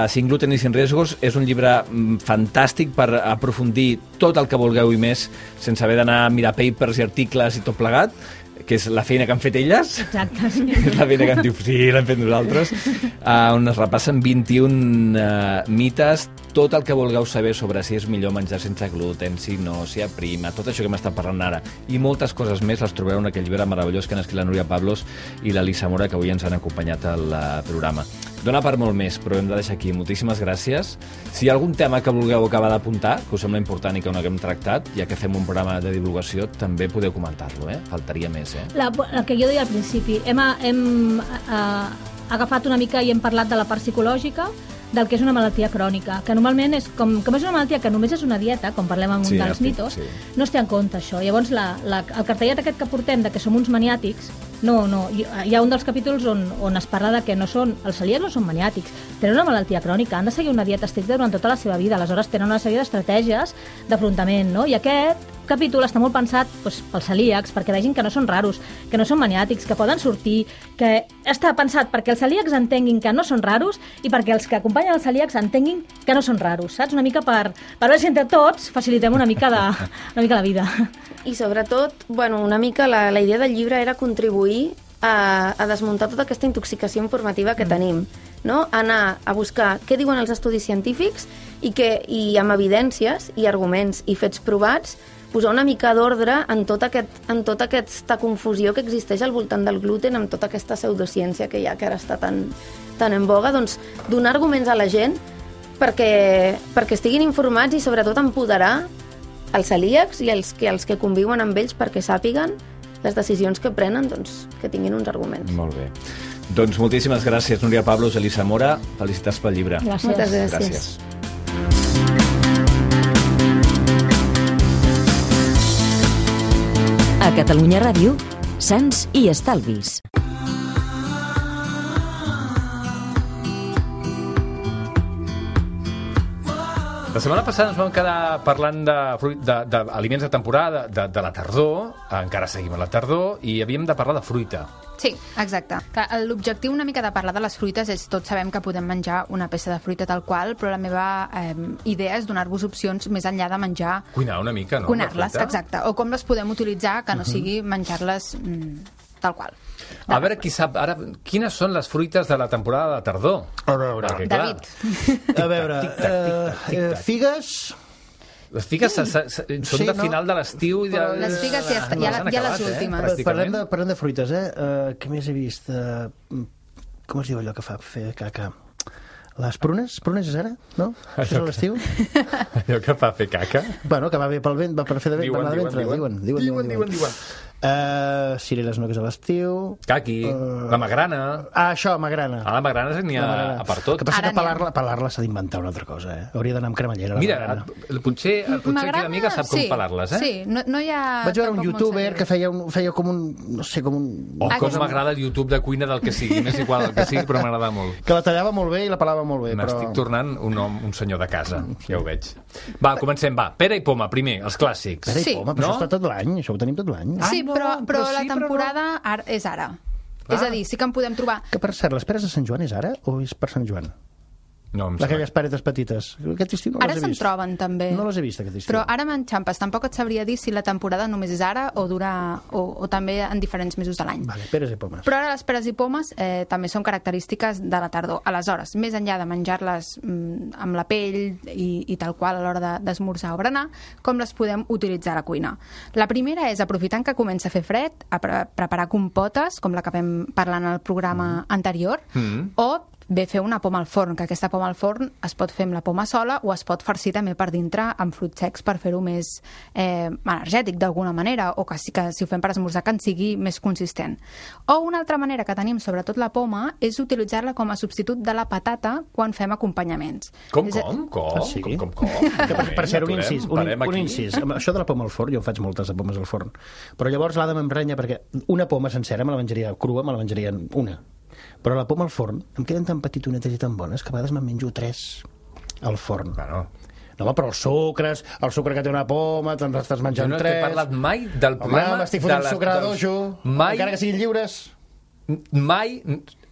Sin gluten i sin riesgos és un llibre fantàstic per aprofundir tot el que vulgueu i més, sense haver d'anar a mirar papers i articles i tot plegat, que és la feina que han fet elles. Exacte, sí. És la feina que han dit, sí, l'hem fet nosaltres, on es repassen 21 mites, tot el que vulgueu saber sobre si és millor menjar sense gluten, si no, si aprima, tot això que hem estat parlant ara, i moltes coses més les trobareu en aquell llibre meravellós que han escrit la Núria Pablos i l'Elisa Mora, que avui ens han acompanyat al programa. Dona per molt més, però hem de deixar aquí. Moltíssimes gràcies. Si hi ha algun tema que vulgueu acabar d'apuntar, que us sembla important i que no haguem tractat, ja que fem un programa de divulgació, també podeu comentar-lo, Faltaria més, El que jo deia al principi, hem agafat una mica i hem parlat de la part psicològica, del que és una malaltia crònica, que normalment és com és una malaltia que només és una dieta, com parlem en un dels mitos, no es té en compte això. Llavors, el cartellet aquest que portem de que som uns maniàtics, no, hi ha un dels capítols on es parla de que els celíacs no són maniàtics, tenen una malaltia crònica, han de seguir una dieta estricta durant tota la seva vida, aleshores tenen una sèrie d'estratègies d'afrontament, no? I aquest capítol està molt pensat pels celíacs, perquè vegin que no són raros, que no són maniàtics, que poden sortir, que està pensat perquè els celíacs entenguin que no són raros i perquè els que acompanyen els celíacs entenguin que no són raros, saps? Una mica per veure si entre tots facilitem una mica la vida. I sobretot, bueno, una mica la idea del llibre era contribuir a desmuntar tota aquesta intoxicació informativa que tenim, no? Anar a buscar què diuen els estudis científics i amb evidències i arguments i fets provats posar una mica d'ordre en tota aquesta confusió que existeix al voltant del gluten, amb tota aquesta pseudociència que hi ha, que ara està tan en boga, doncs donar arguments a la gent perquè estiguin informats i sobretot empoderar els celíacs i els que conviuen amb ells perquè sàpiguen les decisions que prenen, doncs, que tinguin uns arguments. Molt bé. Doncs moltíssimes gràcies, Núria Pablos, Elisa Mora. Felicitats pel llibre. Gràcies. Moltes gràcies. A Catalunya Ràdio, Sants i Estalvis. La setmana passada ens vam quedar parlant d'aliments de temporada, de la tardor, encara seguim a la tardor, i havíem de parlar de fruita. Sí, exacte. L'objectiu una mica de parlar de les fruites és, tots sabem que podem menjar una peça de fruita tal qual, però la meva idea és donar-vos opcions més enllà de menjar... Cuinar una mica, no? Cuinar-les, exacte. O com les podem utilitzar, que no sigui menjar-les tal qual. A veure qui sap ara quines són les fruites de la temporada de tardor. A veure, David. A veure, figues... Les figues són de final de l'estiu. Les figues ja les últimes. Parlem de fruites, Què més he vist? Com es diu allò que fa fer caca? Les prunes? Prunes és ara? No? Això és l'estiu? Allò que fa fer caca? Bueno, que va bé pel vent, va per fer de vent. Diuen. Cireres no, que és a l'estiu. Caqui, la magrana. Això, magrana. A la magrana n'hi ha per tot. El que passa que pelar-la s'ha d'inventar una altra cosa, Hauria d'anar amb cremallera. Mira, potser aquí l'amiga sap com pelar-les, Sí, no hi ha... Vaig veure un youtuber que feia com un... no sé, com un... com m'agrada el YouTube de cuina del que sigui, m'és igual el que sigui, però m'agrada molt. Que la tallava molt bé i la pelava molt bé, M'estic tornant un senyor de casa, ja ho veig. Va, comencem, pera i poma, primer, els clàssics. Pera i poma, però això està tot l'any, això ho tenim tot l'any. Sí, però la temporada és ara. És a dir, sí que en podem trobar... Que per cert, les peres de Sant Joan és ara o és per Sant Joan? No, em sembla. Aquelles paretes petites. Aquest estiu no les he vist. Ara se'n troben, també. No les he vist, aquest estiu. Però ara m'enxampes. Tampoc et sabria dir si la temporada només és ara o o també en diferents mesos de l'any. Vale, peres i pomes. Però ara les peres i pomes també són característiques de la tardor. Aleshores, més enllà de menjar-les amb la pell i tal qual a l'hora d'esmorzar o berenar, com les podem utilitzar a la cuina? La primera és, aprofitant que comença a fer fred, a preparar compotes, com la que vam parlar en el programa anterior, o bé fer una poma al forn, que aquesta poma al forn es pot fer amb la poma sola o es pot farcir també per dintre amb fruits secs per fer-ho més energètic d'alguna manera, o que si ho fem per esmorzar que en sigui més consistent. O una altra manera que tenim, sobretot la poma, és utilitzar-la com a substitut de la patata quan fem acompanyaments. Com? sí? Com? Per ser un incís, un incís. Això de la poma al forn, jo en faig moltes de pomes al forn, però llavors l'Ada m'emprenya perquè una poma sencera me la menjaria crua, me la menjaria una. Però la poma al forn em queden tan petitonetes i tan bones que a vegades me'n menjo 3 al forn. Bueno. No, home, però el sucre que té una poma, te'n estàs menjant 3... Jo no t'he parlat mai del problema... Home, m'estic fotent sucre de dojo, encara que siguin lliures. Mai...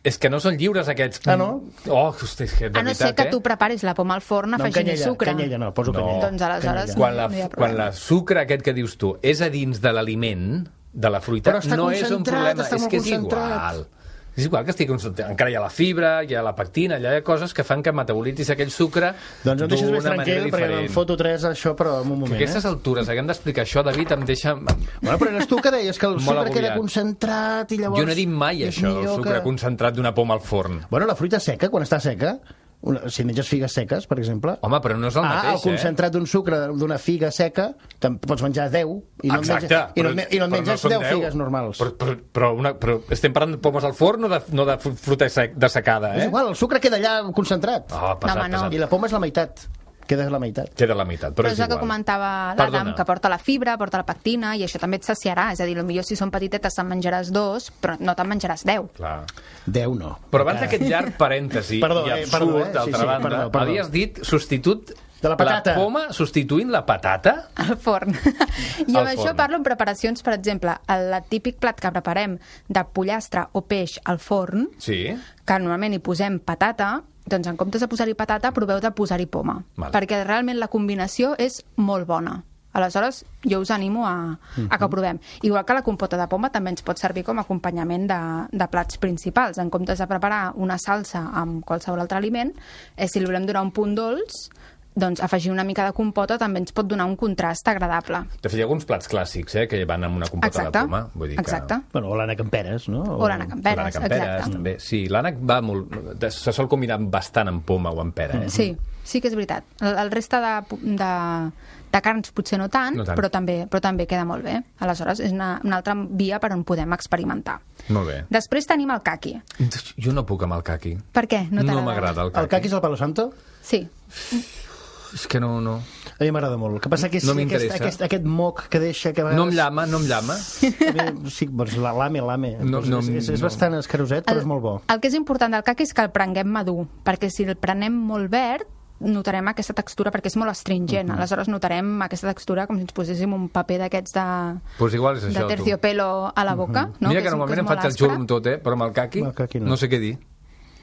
És que no són lliures, aquests... Ah, no? Oh, hosti, és que de A no veritat, ser que tu preparis la poma al forn afegint sucre. Canyella no, poso canyella. Doncs aleshores Quan la sucre aquest que dius tu és a dins de l'aliment, de la fruita, no és un problema, és que és igual. És igual que estigui concentrat. Encara hi ha la fibra, hi ha la pectina, hi ha coses que fan que metabolitzis aquell sucre doncs em deixes més d'una manera tranquil, perquè diferent. em foto 3 això, però en un moment. Que a aquestes altures haguem d'explicar això, David, em deixa... Bueno, però eres tu que deies que el Molt sucre agobiat. queda concentrat i llavors... Jo no he dit mai és això, el millor sucre concentrat d'una poma al forn. Bueno, la fruita seca, quan està seca, si menges figues seques, per exemple... Home, però no és el mateix, el concentrat d'un sucre d'una figa seca, pots menjar 10 i no et menges 10 figues normals. Però estem parlant de pomes al forn o no de fruita dessecada, És igual, el sucre queda allà concentrat. Pesat. I la poma és la meitat. Queda la meitat. Queda la meitat, però és el que igual. comentava l'Adam, que porta la fibra, porta la pectina, i això també et saciarà. És a dir, potser si són petitetes te'n menjaràs 2, però no te'n menjaràs 10. Clar. 10 no. Però abans d'aquest llarg parèntesi i absurd, d'altra banda, havies dit substitut de la patata. La poma substituint la patata? Al forn. I amb això parlo en preparacions, per exemple, el típic plat que preparem de pollastre o peix al forn, que normalment hi posem patata, doncs en comptes de posar-hi patata, proveu de posar-hi poma. Perquè realment la combinació és molt bona. Aleshores, jo us animo a que ho provem. Igual que la compota de poma també ens pot servir com a acompanyament de plats principals. En comptes de preparar una salsa amb qualsevol altre aliment, si li volem donar un punt dolç, doncs afegir una mica de compota també ens pot donar un contrast agradable. De fet, hi ha alguns plats clàssics que van amb una compota de poma. Vull dir que... Bueno, o l'ànec amb peres, no? O l'ànec amb peres, exacte. També. Sí, l'ànec va molt... Se sol combinar bastant amb poma o amb pera, eh? Sí que és veritat. El reste de carns potser no tant, però també queda molt bé. Aleshores, és una altra via per on podem experimentar. Molt bé. Després tenim el caqui. Jo no puc amb el caqui. Per què? No m'agrada el caqui. El caqui és el palo santo? Sí. És que no... A mi m'agrada molt. El que passa que és aquest moc que deixa... Que no em llama. Sí, doncs l'ame. És bastant escaroset, però és molt bo. El que és important del caqui és que el prenguem madur, perquè si el prenem molt verd, notarem aquesta textura, perquè és molt astringent. Aleshores notarem aquesta textura com si ens poséssim un paper d'aquests de terciopelo a la boca. Mira que normalment em faig el xurro amb tot, però amb el caqui no sé què dir.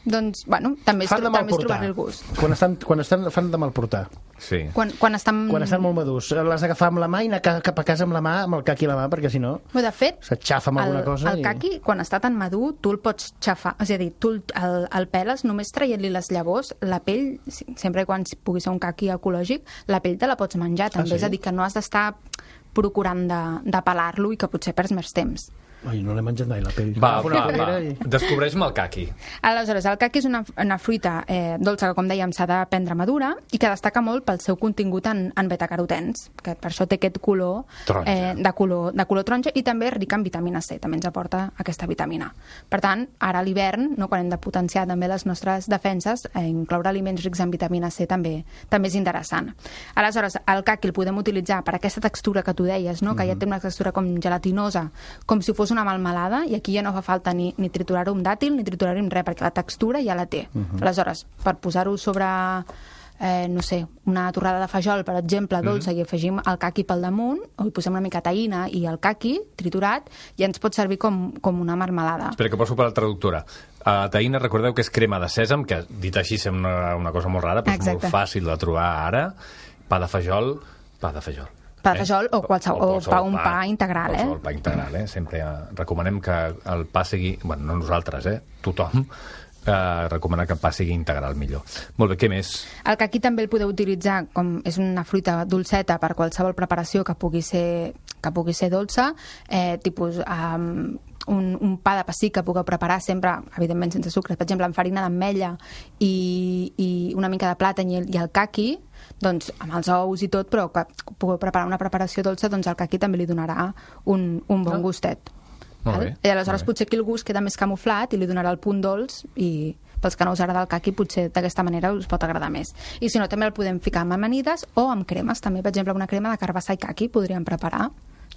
Doncs, bueno, també és trobar-li el gust. Quan fan de mal portar. Sí. Quan estan molt madurs. L'has d'agafar amb la mà i anar cap a casa amb la mà, amb el caqui a la mà, perquè si no... De fet, s'aixafa amb alguna cosa. El caqui, quan està tan madur, tu el pots xafar. És a dir, tu el peles només traient-li les llavors, la pell, sempre quan pugui ser un caqui ecològic, la pell te la pots menjar, també. És a dir, que no has d'estar procurant de pelar-lo i que potser perds més temps. Ai, no l'he menjat mai, la pell. Va. Descobreix-me el caqui. Aleshores, el caqui és una fruita dolça que, com dèiem, s'ha de prendre madura i que destaca molt pel seu contingut en betacarotens, que per això té aquest color de color taronja, i també és rica en vitamina C, també ens aporta aquesta vitamina. Per tant, ara a l'hivern, quan hem de potenciar també les nostres defenses, incloure aliments rics en vitamina C també és interessant. Aleshores, el caqui el podem utilitzar per aquesta textura que tu deies, que ja té una textura com gelatinosa, com si fos una melmelada, i aquí ja no fa falta ni triturar-ho amb dàtil ni triturar-ho amb res, perquè la textura ja la té. Aleshores, per posar-ho sobre no sé, una torrada de fajol, per exemple, dolça, i afegim el caqui pel damunt, o hi posem una mica taïna i el caqui triturat, ja ens pot servir com una marmelada. Espera, que poso per la traductora. Taïna, recordeu que és crema de sèsam, que dit així sembla una cosa molt rara, però és molt fàcil de trobar ara. Pa de fajol. Pa de fajol o pa integral, qualsevol pa integral, Sempre recomanem que el pa sigui... Bueno, no nosaltres, tothom recomana que el pa sigui integral millor. Molt bé, què més? El caqui també el podeu utilitzar com és una fruita dolceta per qualsevol preparació que pugui ser que pugui ser dolça, tipus un pa de pessic que pugueu preparar sempre, evidentment sense sucre, per exemple amb farina d'ametlla i una mica de plàtan i el caqui, doncs amb els ous i tot, però que pugueu preparar una preparació dolça, doncs el caqui també li donarà un bon gustet. I aleshores potser aquí el gust queda més camuflat i li donarà el punt dolç, i pels que no us agrada el caqui potser d'aquesta manera us pot agradar més. I si no, també el podem ficar amb amanides o amb cremes també, per exemple una crema de carbassa i caqui podríem preparar,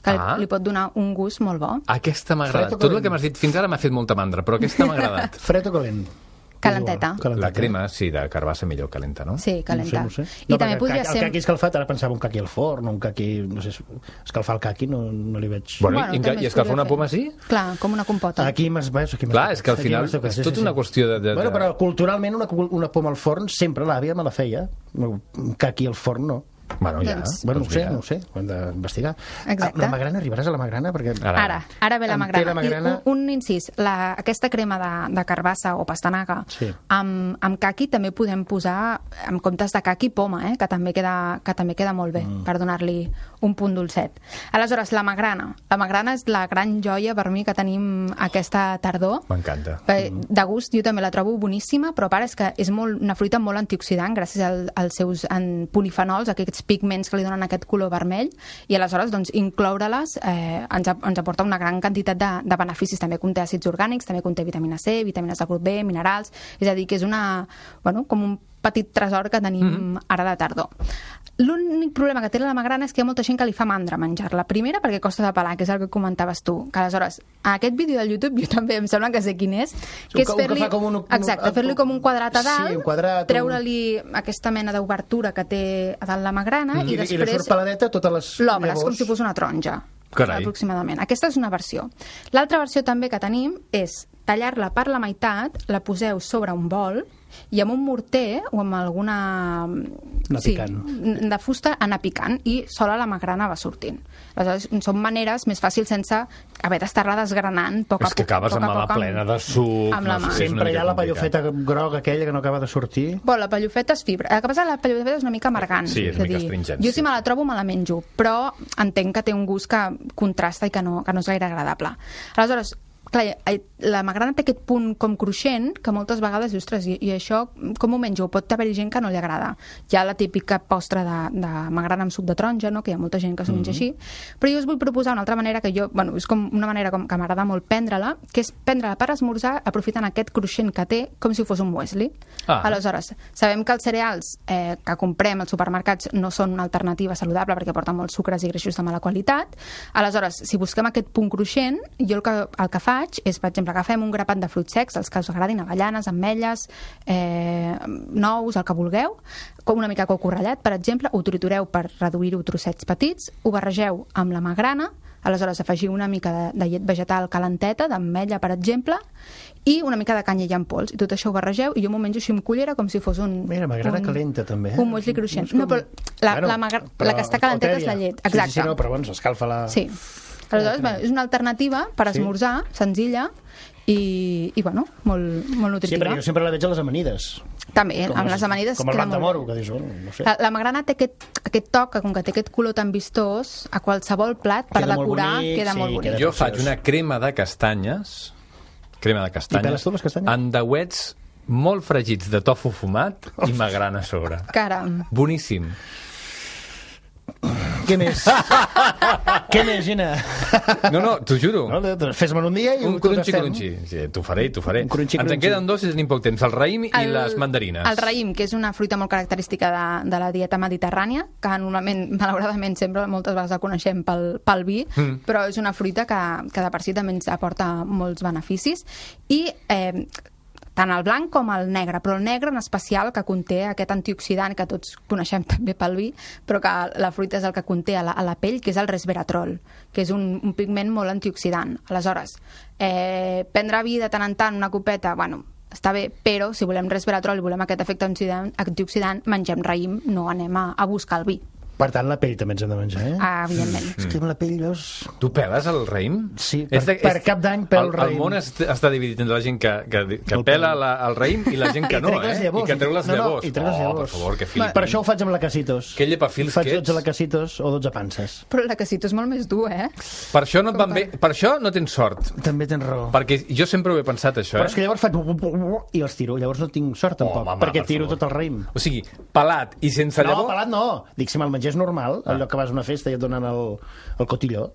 que li pot donar un gust molt bo. Aquesta m'ha agradat. Tot el que m'has dit fins ara m'ha fet molta mandra, però aquesta m'ha agradat. Fred o calent? Calenteta. La crema, sí, de carbassa millor calenta, no? Sí, calenta. No sé. I també podria ser... El caqui escalfat, ara pensava un caqui al forn, un caqui... No sé, escalfar el caqui no li veig... Bueno, i escalfar una poma sí? Clar, com una compota. Aquí m'has... Clar, és que al final és tota una qüestió de... Bueno, però culturalment una poma al forn sempre l'àvia me la feia. Un caqui al forn no. Bueno, ja. Bueno, no ho sé, ho hem d'investigar. Exacte. La magrana, arribaràs a la magrana? Perquè... Ara ve la magrana. I un incís, aquesta crema de carbassa o pastanaga amb caqui també podem posar, en comptes de caqui, poma, que també queda molt bé per donar-li un punt dolcet. Aleshores, la magrana. La magrana és la gran joia per mi que tenim aquesta tardor. M'encanta. De gust jo també la trobo boníssima, però a part és que és una fruita molt antioxidant gràcies als seus polifenols, aquests pigments que li donen aquest color vermell, i aleshores doncs, incloure-les ens aporta una gran quantitat de beneficis. També conté àcids orgànics, també conté vitamina C, vitamines de grup B, minerals, és a dir, que és com un petit tresor que tenim ara de tardor. L'únic problema que té la magrana és que hi ha molta gent que li fa mandra menjar-la. Primera, perquè costa de pelar, que és el que comentaves tu. Que aleshores, a aquest vídeo del YouTube, jo també em sembla que sé quin és, que és fer-li fer-li com un quadrat a dalt, treure-li aquesta mena d'obertura que té a dalt la magrana i després... I li surt peladeta totes les l'obres, llavors. com si fos una taronja. Carai. Aproximadament. Aquesta és una versió. L'altra versió també que tenim és tallar-la per la meitat, la poseu sobre un bol i amb un morter o amb alguna... de fusta anar picant i sola la magrana va sortint. Aleshores, són maneres més fàcils sense haver d'estar-la desgranant poc a poc. És que acabes amb la mà plena de suc. Amb la mà. Sempre hi ha la pallofeta groga aquella que no acaba de sortir. Bueno, la pallofeta és fibra. El que passa és que la pallofeta és una mica amargant. Sí, és una mica astringent. Jo si me la trobo me la menjo, però entenc que té un gust que contrasta i que no és gaire agradable. Aleshores, clar, la magrana té aquest punt com cruixent que moltes vegades, ostres, i això com ho menjo? Pot haver-hi gent que no li agrada. Hi ha la típica postre de magrana amb suc de taronja, no? Que hi ha molta gent que s'ho menja així, però jo us vull proposar una altra manera que jo, és com una manera que m'agrada molt prendre-la, que és prendre-la per esmorzar aprofitant aquest cruixent que té com si fos un muesli. Aleshores, sabem que els cereals que comprem als supermercats no són una alternativa saludable perquè porten molts sucres i greixos de mala qualitat. Aleshores, si busquem aquest punt cruixent, jo el que faig és, per exemple, agafem un grapat de fruits secs, els que us agradin, avellanes, ametlles, nous, el que vulgueu, com una mica coco ratllat, per exemple, ho tritureu per reduir-ho trossets petits, ho barregeu amb la magrana, aleshores afegiu una mica de llet vegetal calenteta, d'ametlla, per exemple, i una mica de canyella en pols, i tot això ho barregeu, i jo m'ho menjo així amb cullera com si fos un... Mira, magrana calenta, també. Un muesli cruixent. No, però la que està calenteta és la llet. Exacte. Sí, no, però bueno, s'escalfa la... Sí. Aleshores, és una alternativa per esmorzar, senzilla, i molt nutritiva. Sí, perquè jo sempre la veig a les amanides. També, amb les amanides com el blat de moro, que dius, no sé. La magrana té aquest toc, que com que té aquest color tan vistós, a qualsevol plat, per decorar, queda molt bonic. Jo faig una crema de castanyes, I peles tu les castanyes? amb dauets molt fregits de tofu fumat i magrana a sobre. Caram. Boníssim. Què més? Què més, Gina? No, t'ho juro. Fes-me'n un dia i un crunchy. Sí, t'ho faré. Ens en queden dos i tenim poc temps. El raïm i les mandarines. El raïm, que és una fruita molt característica de la dieta mediterrània, que normalment, malauradament, sempre moltes vegades la coneixem pel vi, però és una fruita que de per si també ens aporta molts beneficis. I tant el blanc com el negre, però el negre en especial, que conté aquest antioxidant que tots coneixem també pel vi, però que la fruita és el que conté a la pell, que és el resveratrol, que és un pigment molt antioxidant. Aleshores, prendre vi de tant en tant, una copeta, està bé, però si volem resveratrol i volem aquest efecte antioxidant, mengem raïm, no anem a buscar el vi. Per tant, la pell també ens hem de menjar, Evidentment. És que amb la pell, veus... Tu peles el raïm? Sí, per Cap d'Any pel raïm. El món està dividit entre la gent que pela el raïm i la gent que no, I que treu les llavors. I treu les llavors. Per favor, que flipi. Per això ho faig amb la Casitos. Que llepafils que ets. Faig 12 lacasitos o 12 panses. Però la casito és molt més dur, Per això no et van bé. Per això no tens sort. També tens raó. Perquè jo sempre ho he pensat, això, Però és que llavors faig... i els tiro. Llavors no tinc sort, tampoc. Perquè tiro tot el raïm. O sigui, pelat i sense llavor... No, pelat no. Dic, si me'l mengés normal, allò que vas a una festa i et donen el cotilló,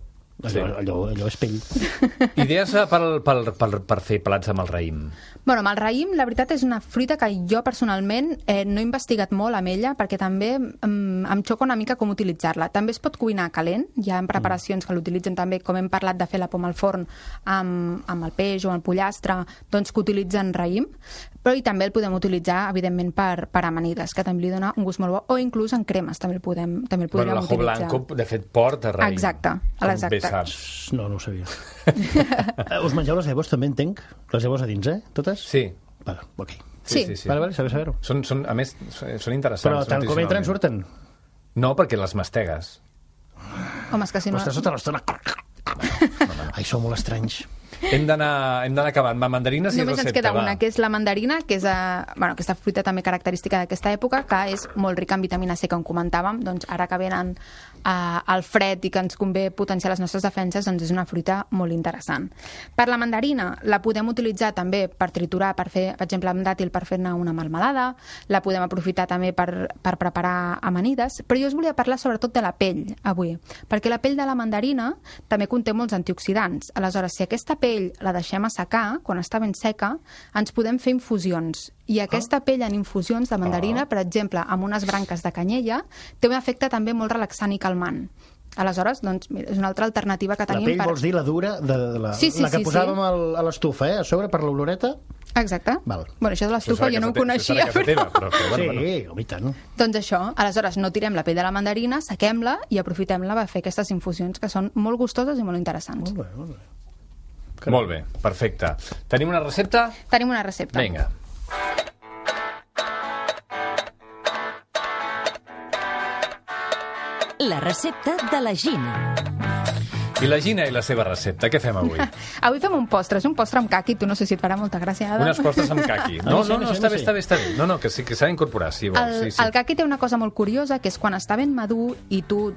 allò és pell. Idees per fer plats amb el raïm? Bueno, amb el raïm, la veritat és una fruita que jo personalment no he investigat molt amb ella perquè també em xoca una mica com utilitzar-la. També es pot cuinar calent, hi ha preparacions que l'utilitzen també, com hem parlat de fer la poma al forn amb el peix o el pollastre, doncs que utilitzen raïm, però i també el podem utilitzar, evidentment, per amanides, que també li dona un gust molt bo, o inclús en cremes també el podríem utilitzar. L'ajo blanco, de fet, porta raïm. Exacte. No ho sabia. Us mengeu les llavors, també entenc? Les llavors a dins, totes? Sí. Vale, ok. Sí. Vale, saber-ho. A més, són interessants. Però tant com entren, surten? No, perquè les mastegues. Home, és que si no... Estàs tota l'estona... Ai, sou molt estranys. Hem d'anar acabant. Va, mandarines i recepta. Només ens queda una, que és la mandarina, que és aquesta fruita també característica d'aquesta època, que és molt rica en vitamina C, com comentàvem. Doncs ara que venen al fred i que ens convé potenciar les nostres defenses, doncs és una fruita molt interessant. Per la mandarina la podem utilitzar també per triturar, per fer, per exemple, amb dàtil per fer-ne una melmelada, la podem aprofitar també per preparar amanides, però jo us volia parlar sobretot de la pell avui, perquè la pell de la mandarina també conté molts antioxidants. Aleshores, si aquesta pell la deixem assecar, quan està ben seca, ens podem fer infusions. I aquesta pell en infusions de mandarina, per exemple, amb unes branques de canyella, té un efecte també molt relaxant i calmant. Aleshores, doncs, mira, és una altra alternativa que tenim. La pell vols dir la dura, la que posàvem a l'estufa, a sobre, per l'oloreta? Exacte. Val. Bueno, això de l'estufa jo no ho coneixia. Sí, i tant. Doncs això, aleshores no tirem la pell de la mandarina, sequem-la i aprofitem-la per fer aquestes infusions que són molt gustoses i molt interessants. Molt bé, molt bé. Molt bé, perfecte. Tenim una recepta? Tenim una recepta. Vinga. La recepta de la Gina. I la Gina i la seva recepta, què fem avui? Avui fem un postre, és un postre amb caqui, tu no sé si et farà molta gràcia, Adam. Unes postres amb caqui. No, està bé. No, que sí, que s'ha d'incorporar, si vols. El caqui té una cosa molt curiosa, que és quan està ben madur i tu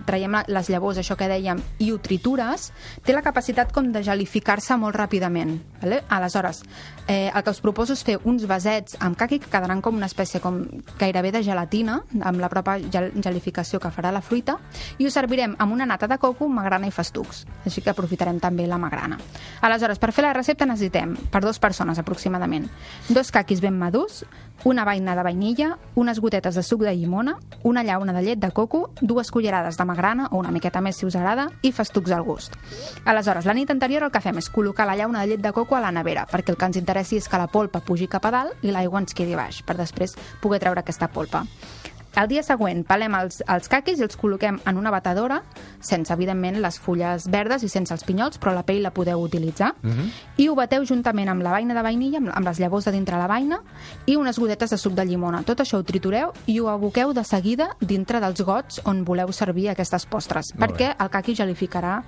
traiem les llavors, això que dèiem, i ho tritures, té la capacitat com de gelificar-se molt ràpidament. Vale? Aleshores, el que us proposo és fer uns vasets amb caqui que quedaran com una espècie com gairebé de gelatina, amb la pròpia gelificació que farà la fruita, i ho servirem amb una nata de coco, magrana i festucs. Així que aprofitarem també la magrana. Aleshores, per fer la recepta necessitem, per 2 persones aproximadament, 2 caquis ben madurs, una beina de vainilla, unes gotetes de suc de llimona, una llauna de llet de coco, 2 cullerades de magrana, o una miqueta més si us agrada, i festucs al gust. Aleshores, la nit anterior el que fem és col·locar la llauna de llet de coco a la nevera, perquè el que ens interessi és que la polpa pugi cap a dalt i l'aigua ens quedi baix, per després poder treure aquesta polpa. El dia següent pelem els caquis i els col·loquem en una batedora, sense, evidentment, les fulles verdes i sense els pinyols, però la pell la podeu utilitzar, i ho bateu juntament amb la beina de vainilla, amb les llavors de dintre la beina, i unes gotetes de suc de llimona. Tot això ho tritureu i ho aboqueu de seguida dintre dels gots on voleu servir aquestes postres, perquè el caqui gelificarà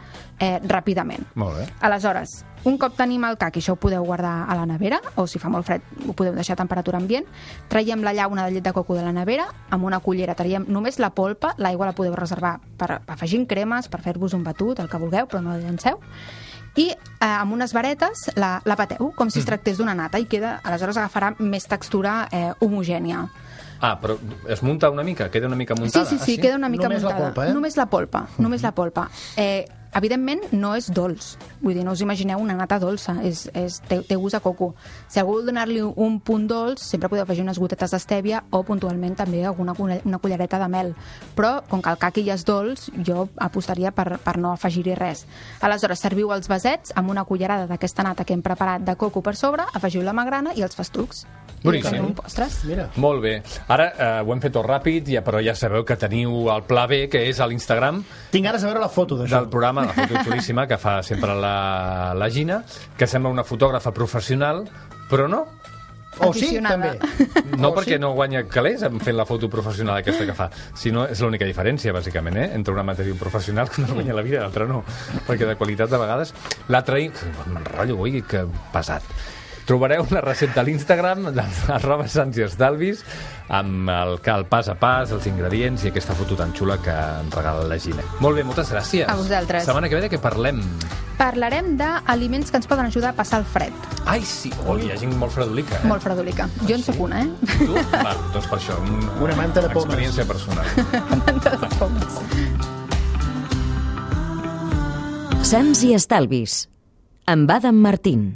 ràpidament. Molt bé. Aleshores, un cop tenim el caqui, això ho podeu guardar a la nevera, o si fa molt fred ho podeu deixar a temperatura ambient, traiem la llauna de llet de coco de la nevera, amb una cullera traiem només la polpa, l'aigua la podeu reservar per afegir cremes, per fer-vos un batut, el que vulgueu, però no la llanceu, i amb unes varetes la bateu, com si es tractés d'una nata, i queda, aleshores agafarà més textura homogènia. Ah, però es munta una mica? Queda una mica muntada? Sí, queda una mica muntada. La polpa, només la polpa. Evidentment, no és dolç. Vull dir, no us imagineu una nata dolça. Té gust a coco. Si algú vol donar-li un punt dolç, sempre podeu afegir unes gotetes d'estèvia o, puntualment, també una cullereta de mel. Però, com que el caqui ja és dolç, jo apostaria per no afegir-hi res. Aleshores, serviu els vasets amb una cullerada d'aquesta nata que hem preparat de coco per sobre, afegiu la magrana i els festucs. Boníssim. Mira. Molt bé. Ara ho hem fet tot ràpid, però ja sabeu que teniu el pla B, que és a l'Instagram. Tinc ganes de veure la foto d'això. Del programa, la foto xulíssima que fa sempre la Gina, que sembla una fotògrafa professional, però no. O sí, aficionada. també. No perquè no guanya calés fent la foto professional aquesta que fa, sinó és l'única diferència, bàsicament, entre una matèria professional que no guanya la vida i l'altra no, perquè de qualitat de vegades l'altre m'enrotllo avui, que pesat. Trobareu la recepta a l'Instagram @sansiestalvis amb el pas a pas, els ingredients i aquesta foto tan xula que ens regala la Gina. Molt bé, moltes gràcies. A vosaltres. Setmana que ve de què parlem? Parlarem d'aliments que ens poden ajudar a passar el fred. Ai, sí, hi ha gent molt fredolica. Molt fredolica. Jo en soc una, Tu? Va, doncs per això. Una manta de pomes. Experiència personal. Manta de pomes. Sants i Estalvis amb Adam Martín.